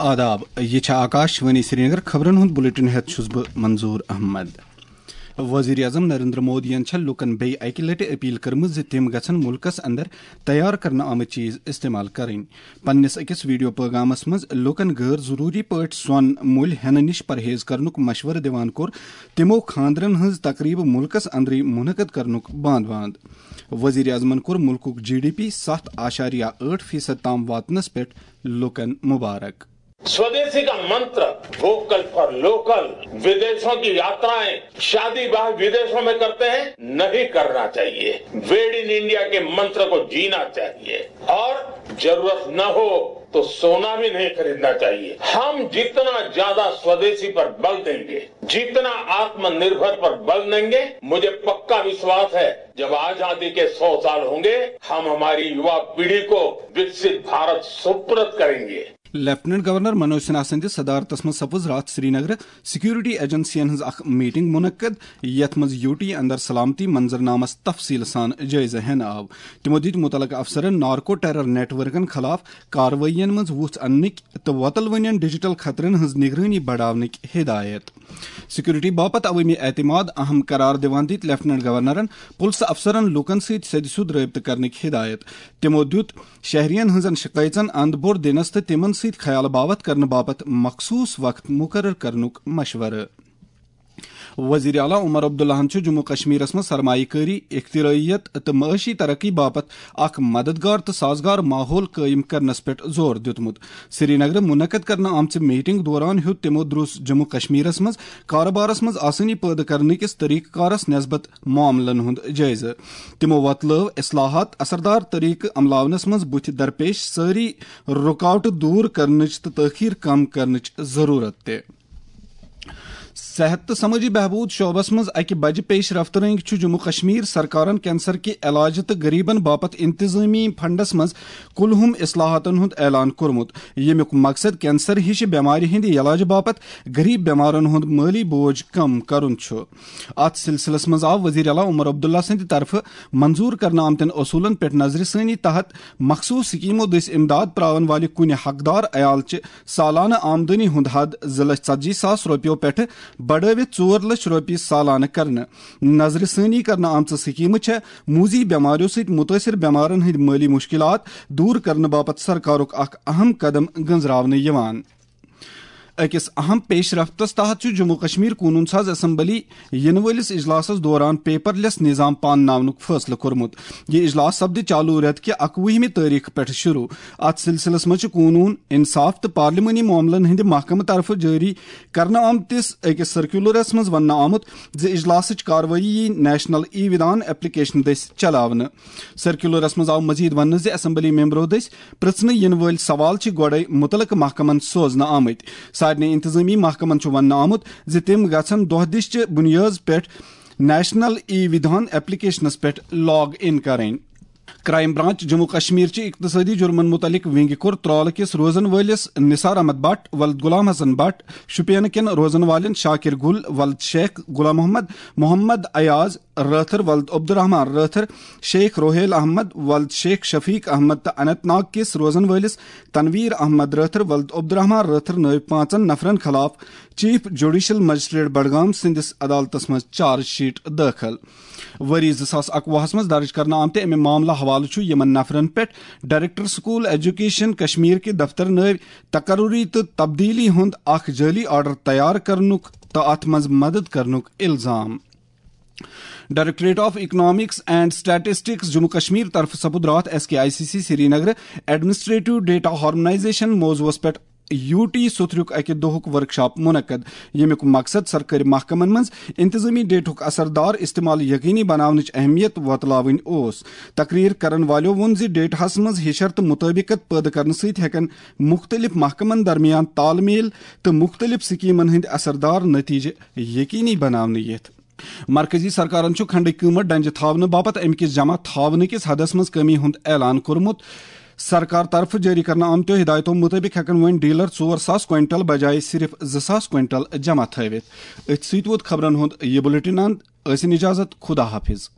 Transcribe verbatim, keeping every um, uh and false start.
آداب، یہِ چھےٚ آکاش وانی سرینگر۔ خبرن ہُنٛد بلیٹن ہٮ۪تھ چھُس بہٕ منظور احمد۔ وزیر اعظم نریندر مودیَن چھےٚ لوٗکَن بیٚیہِ اَکہِ لَٹہِ اپیل کٔرمٕژ زِ تِم گژھن مُلکَس اندر تیار کرنہٕ آمٕتۍ چیز استعمال کرٕنۍ۔ پننِس أکِس ویڈیو پیغامَس منٛز لوٗکَن غٲر ضروٗری پٲٹھۍ سۄن مٔلۍ ہٮ۪نہٕ نِش پرہیز کرنُک مشورٕ دِوان کوٚر تِمو خانٛدرَن ہٕنٛز تقریبہٕ مُلکَس اندرٕے منعقد کرنُک بانٛد بانٛد۔ وزیر اعظمَن کوٚر مُلکُک جی ڈی پی ستھ اعشاریہ ٲٹھ فیصد تام واتنَس پٮ۪ٹھ لوٗکَن مبارک۔ स्वदेशी का मंत्र, वोकल फॉर लोकल। विदेशों की यात्राएं, शादी ब्याह विदेशों में करते हैं, नहीं करना चाहिए। मेड इन इंडिया के मंत्र को जीना चाहिए और जरूरत न हो तो सोना भी नहीं खरीदना चाहिए। हम जितना ज्यादा स्वदेशी पर बल देंगे, जितना आत्मनिर्भर पर बल देंगे, मुझे पक्का विश्वास है, जब आजादी के सौ साल होंगे, हम हमारी युवा पीढ़ी को विकसित भारत सुपुर्द करेंगे। لیفٹیننٹ گورنر منوج سنہا سٕنٛدِس صدارتس منٛز سپُز راتھ سرینگرٕ سیکورٹی ایجنسین ہٕنٛز اکھ میٹنگ منعقد، یتھ منٛز یو ٹی اندر سلامتی منظرنامس تفصیل سان جٲیزٕ ہٮ۪نہٕ آو۔ تِمو دِتۍ مُتعلقہٕ افسرن نارکو ٹیرر نیٹ ورکن خلاف کاروٲیین منٛز وُژھ اننٕکۍ تہٕ وۄتلوٕنٮ۪ن ڈیجیٹل خطرن ہٕنٛز نگرٲنی بڑاونٕکۍ ہدایت۔ سیکورٹی باپتھ عوٲمی اعتماد اہم قرار دِوان دِتۍ لیفٹیننٹ گورنرن پُلسہٕ افسرن لوٗکن سۭتۍ سیٚدِ سیوٚد رٲبطہٕ کرنٕکۍ ہدایت۔ تِمو دِیُت شہرین ہٕنٛزن شکایژن اند بوٚر دِنس تہٕ تِمن سۭتۍ خیال باوتھ کرنہٕ باپتھ مخصوص وقت مقرر کرنُک مشورٕ۔ وزیر اعلیٰ عمر عبداللہن چھُ جموں کشمیرس منٛز سرمایہ کٲری، اختراعیت تہٕ معاشی ترقی باپتھ اکھ مددگار تہٕ سازگار ماحول قٲیِم کرنس پٮ۪ٹھ زور دیُتمُت۔ سرینگرٕ منعقد کرنہٕ آمژِ میٹنگ دوران ہیوٚت تِمو دروس جموں کشمیرس منٛز کارٕبارس منٛز آسٲنی پٲدٕ کرنہٕ کِس طریقہٕ کارس نسبت معاملن ہُنٛد جٲیزٕ۔ تِمو وۄتلٲو اصلاحات اثردار طریقہٕ عملاونس منٛز بُتھِ درپیش سٲری رُکاوٹہٕ دوٗر کرنٕچ تہٕ تٲخیر کم کرنٕچ ضروٗرت تہِ۔ صحت تہٕ سمٲجی بہبود شعبس منٛز اکہِ بجہِ پیش رفت رٔنگۍ چھُ جموں کشمیر سرکارن کینسر کہِ علاجہٕ تہٕ غریبن باپتھ انتظامی فنڈس منٛز کُلہُم اصلاحاتن ہُنٛد اعلان کوٚرمُت، ییٚمیُک مقصد کینسر ہِشہِ بٮ۪مارِ ہٕنٛدِ علاجہٕ باپتھ غریب بٮ۪مارن ہُنٛد مٲلی بوج کم کرُن چھُ۔ اتھ سلسلس منٛز آو وزیر اعلیٰ عمر عبداللہ سٕنٛدِ طرفہٕ منظور کرنہٕ آمتٮ۪ن اصوٗلن پٮ۪ٹھ نظرِ ثٲنی تحت مخصوص سکیمو دٔسۍ امداد پراون والہِ کُنہِ حقدار عیال چہِ سالانہٕ آمدنی ہُنٛد حد زٕ لچھ ژتجی ساس رۄپیو پٮ۪ٹھٕ بڑٲوِتھ ژور لچھ رۄپیہِ سالانہٕ کرنہٕ۔ نظرِ ثٲنی کرنہٕ آمژٕ سکیمہٕ چھےٚ موذی بٮ۪ماریو سۭتۍ مُتٲثر بٮ۪مارن ہٕنٛدۍ مٲلی مُشکلات دوٗر کرنہٕ باپتھ سرکارُک اکھ اہم قدم گٔنٛزراونہٕ یِوان۔ أکِس اہم پیش رفتس تحت چھُ جموں کشمیر قونوٗن ساز اسمبلی یِنہٕ وٲلِس اجلاسس دوران پیپر لیس نظام پانناونُک فٲصلہٕ کوٚرمُت۔ یہِ اجلاس سپدِ چالو رٮ۪تہٕ کہِ اکوُہمہِ تٲریخہٕ پٮ۪ٹھ شروع۔ اتھ سلسلس منٛز چھِ قونوٗن، انصاف تہٕ پارلیمانی معاملن ہٕنٛدِ محکمہٕ طرفہٕ جٲری کرنہٕ آمتِس أکِس سرکیولرس منٛز وننہٕ آمُت زِ اجلاسٕچ کاروٲیی یِیہِ نیشنل ای ودھان ایپلیکیشن دٔسۍ چلاونہٕ۔ سرکیولرس منٛز آو مزید وننہٕ زِ اسمبلی ممبرو دٔسۍ پرژھنہٕ یِنہٕ وٲلۍ سوال چھِ گۄڈے مُتعلقہٕ محکمن سوزنہٕ آمٕتۍ۔ سارنٕے انتظامی محکمن چھُ وننہٕ آمُت زِ تِم گژھن دۄہ دِش چہِ بُنیٲز پٮ۪ٹھ نیشنل ای ودھان ایپلیکیشنس پٮ۪ٹھ لاگ ان کرٕنۍ۔ کرائم برانچ جموں کشمیر چہِ اقتصٲدی جرمن مُتعلق ونگہِ کوٚر ترالہٕ کِس روزن وٲلِس نثار احمد بٹ ولد غلام حسن بٹ، شوپین کٮ۪ن روزن والٮ۪ن شاکر گل ولد شیخ غلام محمد، محمد ایاز رٲتھر ولد عبدالرحمان رٲتھر، شیخ روہیل احمد ولد شیخ شفیق احمد تہٕ اننت ناگ کِس روزن وٲلِس تنویر احمد رٲتھر ولد عبدالرحمان رٲتھر نٲوۍ پانٛژن نفرن خلاف چیف جوڈیشل مجسٹریٹ بڈگام سٕنٛدِس عدالتس منٛز چارج شیٹ دٲخل۔ ؤری زٕ ساس اکوُہس منٛز درج کرنہٕ آمتہِ امہِ معاملہٕ حوالہٕ چھُ یِمن نفرن پٮ۪ٹھ ڈائریکٹر سکول ایجوکیشن کشمیر کہِ دفتر نٲوۍ تقرری تہٕ تبدیلی ہُنٛد اکھ جعلی آرڈر تیار کرنُک تہٕ اتھ منٛز مدد کرنُک الزام۔ Directorate of economics and statistics Jammu Kashmir طرفہٕ سپُد راتھ S K I C C سرینگرٕ ایڈمنسٹریٹو ڈیٹا ہارمونائزیشن موضوعس پٮ۪ٹھ یو ٹی سُتھریُک اکہِ دۄہُک ورکشاپ منعقد، ییٚمیُک مقصد سرکٲرۍ محکمن منٛز انتظامی ڈیٹہُک اثردار استعمال یقینی بناونٕچ اہمیت وۄتلاوٕنۍ اوس۔ تقریر کرن والٮ۪و ووٚن زِ ڈیٹاہس منٛز ہِشر تہٕ مُطٲبقت پٲدٕ کرنہٕ سۭتۍ ہٮ۪کن مُختٔلِف محکمن درمیان تال میل تہٕ مُختٔلِف سکیمن ہٕنٛدۍ اثردار نتیجہٕ یقینی بناونہٕ یِتھ۔ مرکزی سرکارن چھُ کھنڈٕکۍ قۭمت ڈنجہِ تھاونہٕ باپتھ امہِ کِس جمع تھاونہٕ کِس حدس منٛز کمی ہُنٛد اعلان کوٚرمُت۔ سرکار طرفہٕ جٲری کرنہٕ آمتیو ہدایتو مُطٲبِق ہٮ۪کن وۄنۍ ڈیلر ژور ساس کوینٹل بجایہِ صرف زٕ ساس کوینٹل جمع تھٲوِتھ۔ أتھۍ سۭتۍ ووت خبرن ہُنٛد یہِ بُلٹن اند۔ ٲسِن اجازت، خدا حافظ۔